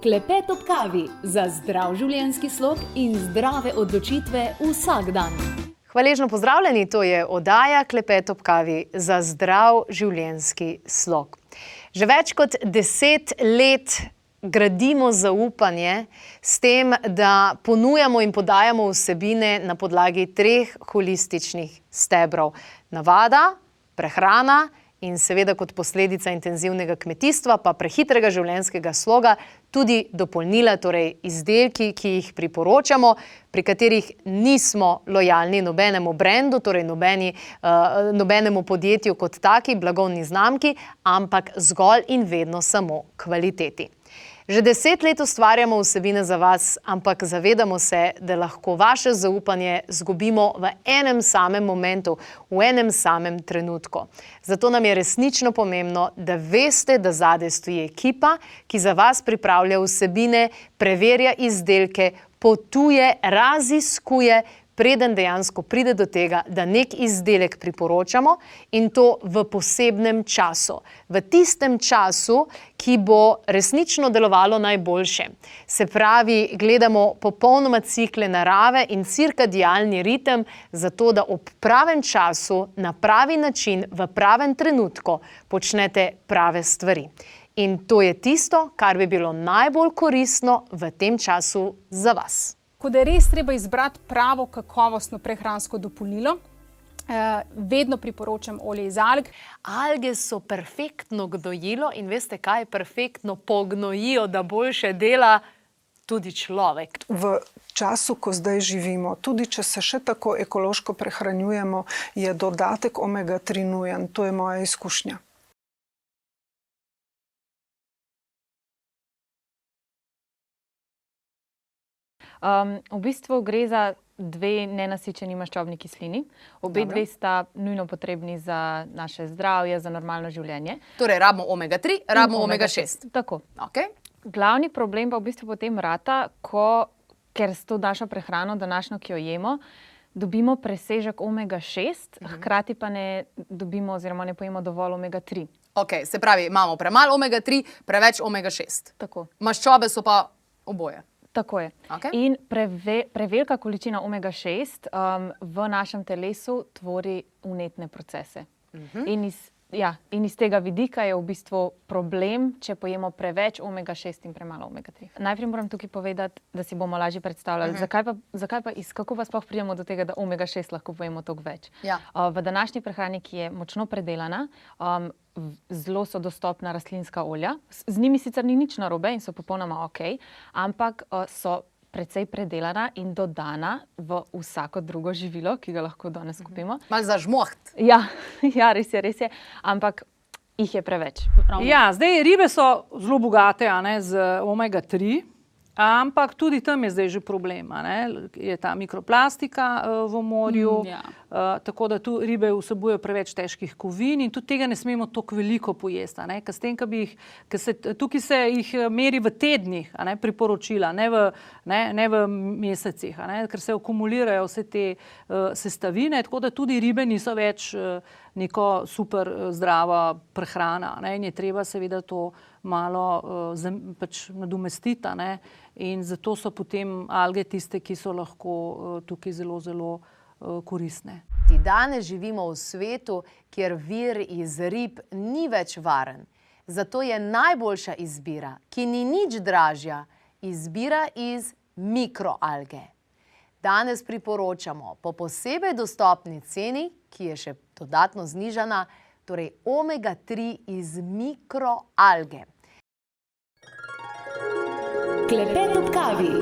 Klepet ob kavi za zdrav življenjski slog in zdrave odločitve vsak dan. Hvaležno pozdravljeni, to je oddaja Klepet ob kavi za zdrav življenjski slog. Že več kot 10 let gradimo zaupanje s tem, da ponujamo in podajamo vsebine na podlagi 3 holističnih stebrov. Navada, prehrana in seveda kot posledica intenzivnega kmetijstva pa prehitrega življenjskega sloga tudi dopolnila, torej izdelki, ki jih priporočamo, pri katerih nismo lojalni nobenemu brendu, torej nobenemu podjetju kot taki, blagovni znamki, ampak zgolj in vedno samo kvaliteti. Že 10 let ustvarjamo vsebine za vas, ampak zavedamo se, da lahko vaše zaupanje izgubimo v enem samem momentu, v enem samem trenutku. Zato nam je resnično pomembno, da veste, da zadaj stoji ekipa, ki za vas pripravlja vsebine, preverja izdelke, potuje, raziskuje, preden dejansko pride do tega, da nek izdelek priporočamo in to v posebnem času. V tistem času, ki bo resnično delovalo najboljše. Se pravi, gledamo popolnoma cikle narave in cirkadialni ritem, zato da ob pravem času, na pravi način, v pravem trenutku počnete prave stvari. In to je tisto, kar bi bilo najbolj koristno v tem času za vas. Ko da je res treba izbrati pravo kakovostno prehransko dopolnilo, vedno priporočam olje iz alg. Alge so perfektno gnojilo in veste kaj, perfektno pognojijo, da boljše dela tudi človek. V času, ko zdaj živimo, tudi če se še tako ekološko prehranjujemo, je dodatek omega-3 nujen. To je moja izkušnja. V bistvu gre za 2 nenasičeni maščobni kislini. Obe dve sta nujno potrebni za naše zdravje, za normalno življenje. Torej, rabimo omega-3, rabimo omega-6. Tako. Okay. Glavni problem pa v bistvu potem rata, ker s to našo prehrano današnjo, ki jo jemo, dobimo presežek omega-6, hkrati pa ne dobimo oziroma ne pojemo dovolj omega-3. Ok, se pravi, imamo premalo omega-3, preveč omega-6. Tako. Maščobe so pa oboje. Tako je. Okay. In prevelika količina omega-6 v našem telesu tvori vnetne procese. In iz tega vidika je v bistvu problem, če pojemo preveč omega-6 in premalo omega-3. Najprej moram tukaj povedati, da si bomo lažje predstavljali, kako pa sploh pridemo do tega, da omega-6 lahko pojemo toliko več. Ja. V današnji prehrani, ki je močno predelana, zelo so dostopna rastlinska olja. Z njimi sicer ni nič narobe in so popolnoma ok, ampak so precej predelana in dodana v vsako drugo živilo, ki ga lahko danes kupimo. Malo zažmoht. Ja, res je, ampak jih je preveč. Ja, zdaj ribe so zelo bogate, z omega-3, ampak tudi tam je zdaj že problem, je ta mikroplastika v morju, tako da tu ribe vsebujejo preveč težkih kovin in tudi tega ne smemo toliko veliko pojesti, tukaj se jih meri v tednih, priporočila, ne v mesecih, ker se akumulirajo vse te sestavine, tako da tudi ribe niso več neko super zdrava prehrana, in je treba seveda to malo nadomestiti, in zato so potem alge tiste, ki so lahko tukaj zelo, zelo koristne. Danes živimo v svetu, kjer vir iz rib ni več varen. Zato je najboljša izbira, ki ni nič dražja, izbira iz mikroalge. Danes priporočamo po posebej dostopni ceni, ki je še dodatno znižana, torej omega-3 iz mikroalge. Klepet ob kavi.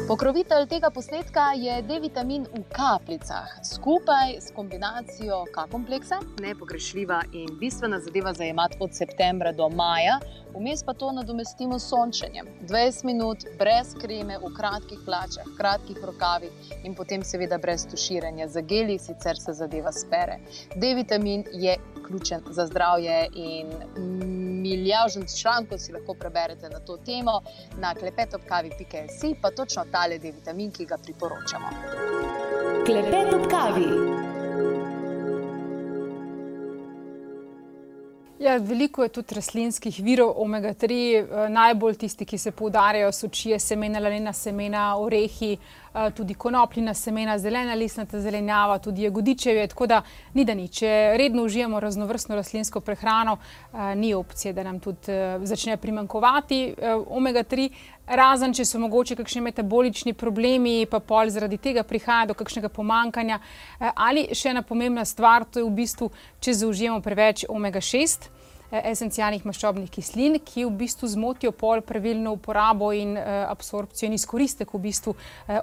Pokrovitelj tega posnetka je D-vitamin v kapljicah, skupaj s kombinacijo K-kompleksa. Nepogrešljiva in bistvena zadeva za jemati od septembra do maja, vmes pa to nadomestimo s sončenjem. 20 minut brez kreme, v kratkih hlačah, kratkih rokavih in potem seveda brez tuširanja. Za geli sicer se zadeva spere. D-vitamin je ključen za zdravje in milijavžen člankov si lahko preberete na to temo na klepetobkavi.si, pa točno tale D-vitamin, ki ga priporočamo. Klepet ob kavi. Ja, veliko je tudi rastlinskih virov omega-3, najbolj tisti, ki se poudarjajo, so čije semena, lanena semena, orehi, tudi konopljina semena, zelena listnata zelenjava, tudi jagodičevje, tako da ni da ni. Če redno užijamo raznovrstno rastlinsko prehrano, ni opcije, da nam tudi začne primanjkovati omega-3, razen če so mogoče kakšni metabolični problemi, pa pol zaradi tega prihaja do kakšnega pomanjkanja. Ali še ena pomembna stvar, to je v bistvu, če zaužijemo preveč omega-6, esencialnih maščobnih kislin, ki v bistvu zmotijo pol pravilno uporabo in absorpcijo in izkoristek v bistvu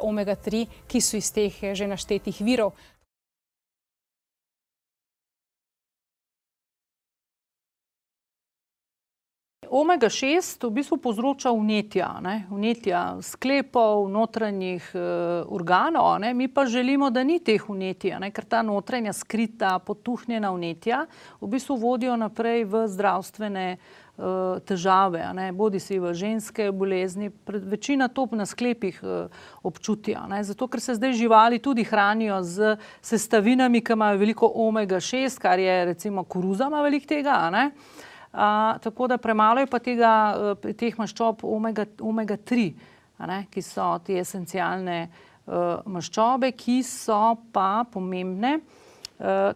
omega-3, ki so iz teh že naštetih virov. Omega-6 v bistvu povzroča vnetja sklepov, notranjih organov, mi pa želimo, da ni teh vnetij, ker ta notranja skrita, potuhnjena vnetja v bistvu vodijo naprej v zdravstvene težave, bodi si v ženske bolezni, večina to na sklepih občutijo, zato ker se zdaj živali tudi hranijo z sestavinami, ki imajo veliko omega-6, kar je recimo koruza ima veliko tega, tako da premalo je pa teh maščob omega-3, ki so te esencialne maščobe, ki so pa pomembne,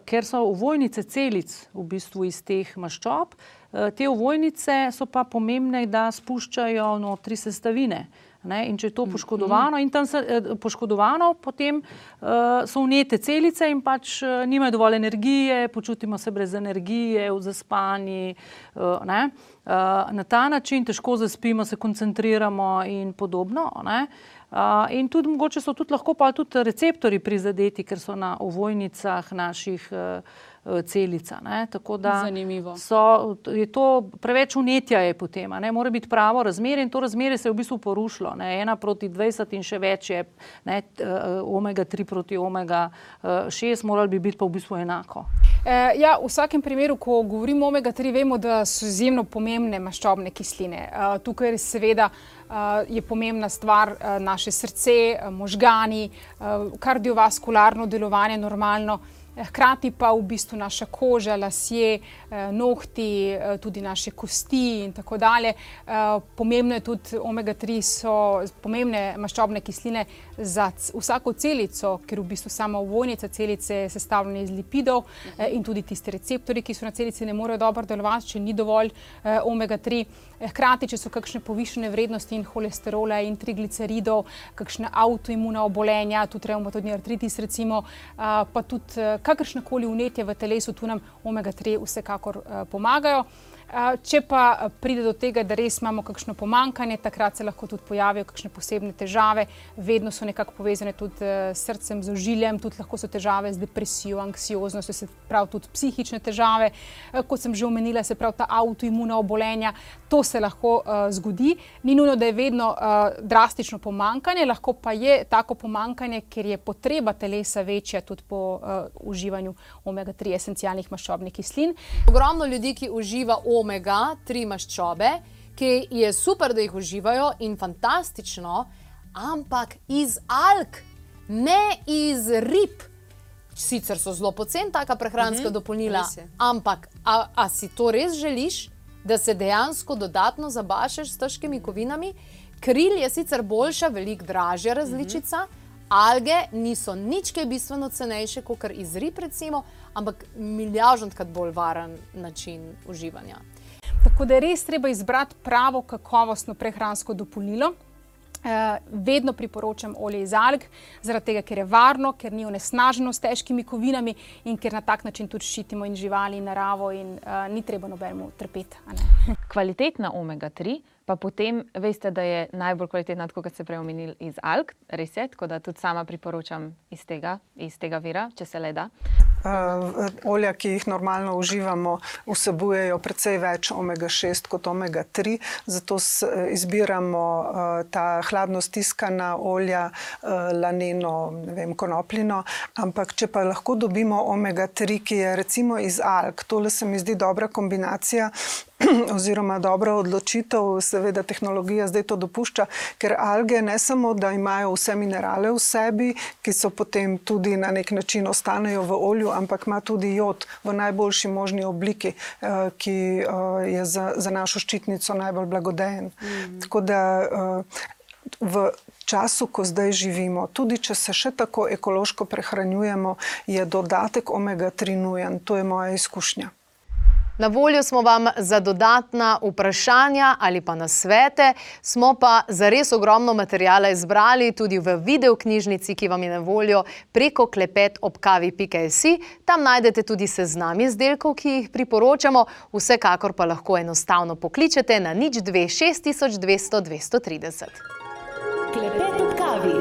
ker so ovojnice celic v bistvu iz teh maščob. Te ovojnice so pa pomembne, da spuščajo notri sestavine. In če je to poškodovano, in tam poškodovano, potem so vnete celice in pač nimajo dovolj energije, počutimo se brez energije, zaspani. Na ta način težko zaspimo, se koncentriramo in podobno. In tudi mogoče so tudi lahko pa tudi receptorji prizadeti, ker so na ovojnicah naših celica. Tako da je to preveč vnetja je potem, mora biti pravo razmerje in to razmerje se je v bistvu porušilo. 1:20 in še več je omega-3 proti omega-6, morali bi biti pa v bistvu enako. Ja, v vsakem primeru, ko govorimo o omega-3, vemo, da so izjemno pomembne maščobne kisline. Tukaj seveda je pomembna stvar naše srce, možgani, kardiovaskularno delovanje normalno, hkrati pa v bistvu naša koža, lasje, nohti, tudi naše kosti in tako dalje. Pomembno je tudi, omega-3 so pomembne maščobne kisline za vsako celico, ker v bistvu sama ovojnica celice je sestavljena iz lipidov in tudi tisti receptorji, ki so na celici, ne morejo dobro delovati, če ni dovolj omega-3. Hkrati, če so kakšne povišene vrednosti in holesterola in trigliceridov, kakšne avtoimuna obolenja, tudi revmatoidni artritis recimo, pa tudi kakršnekoli vnetje v telesu, tu nam omega-3 vsekakor pomagajo. Če pa pride do tega, da res imamo kakšno pomanjkanje, takrat se lahko tudi pojavijo kakšne posebne težave, vedno so nekako povezane tudi s srcem, z ožiljem, tudi lahko so težave z depresijo, anksioznostjo, se pravi tudi psihične težave, kot sem že omenila, se pravi ta avtoimuna obolenja, to se lahko zgodi. Ni nujno, da je vedno drastično pomanjkanje, lahko pa je tako pomanjkanje, ker je potreba telesa večja tudi po uživanju omega-3 esencialnih maščobnih kislin. Ogromno ljudi, ki uživa omega-3 maščobe, ki je super, da jih uživajo in fantastično, ampak iz alg, ne iz rib. Sicer so zelo poceni taka prehranska dopolnila, ampak a si to res želiš, da se dejansko dodatno zabašeš s težkimi kovinami? Kril je sicer boljša, veliko dražja različica, alge niso nič kaj bistveno cenejše, kakor iz rib recimo, ampak milijardonkrat bolj varen način uživanja. Tako da je res treba izbrati pravo kakovostno prehransko dopolnilo. Vedno priporočam olje iz alg, zaradi tega, ker je varno, ker ni onesnaženo s težkimi kovinami in ker na tak način tudi ščitimo in živali in naravo in ni treba nobenemu trpeti. Kvalitetna omega-3 pa potem veste, da je najbolj kvalitetna, tako kot ste prej omenili, iz alg, res je, tako da tudi sama priporočam iz tega vira, če se le da. Olja, ki jih normalno uživamo, vsebujejo precej več omega-6 kot omega-3, zato izbiramo ta hladno stiskana olja, laneno, konopljino, ampak če pa lahko dobimo omega-3, ki je recimo iz alg, tole se mi zdi dobra kombinacija, oziroma dobra odločitev, seveda tehnologija zdaj to dopušča, ker alge ne samo, da imajo vse minerale v sebi, ki so potem tudi na nek način ostanejo v olju, ampak ima tudi jod v najboljši možni obliki, ki je za našo ščitnico najbolj blagodejen. Tako da v času, ko zdaj živimo, tudi če se še tako ekološko prehranjujemo, je dodatek omega-3 nujen. To je moja izkušnja. Na voljo smo vam za dodatna vprašanja ali pa nasvete, smo pa za res ogromno materijala izbrali tudi v videoknjižnici, ki vam je na voljo preko klepetobkavi.si. Tam najdete tudi seznam izdelkov, ki jih priporočamo, vsekakor pa lahko enostavno pokličete na 02 6200 230. Klepet ob kavi.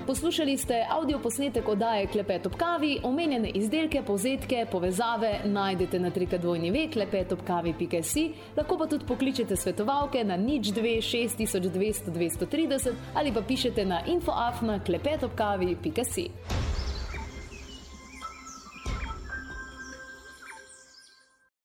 Poslušali ste avdioposnetek oddaje Klepet ob kavi. Omenjene izdelke, povzetke, povezave najdete na www.klepetobkavi.si. Lahko pa tudi pokličete svetovalke na 02 6200 230 ali pa pišete na info@klepetobkavi.si.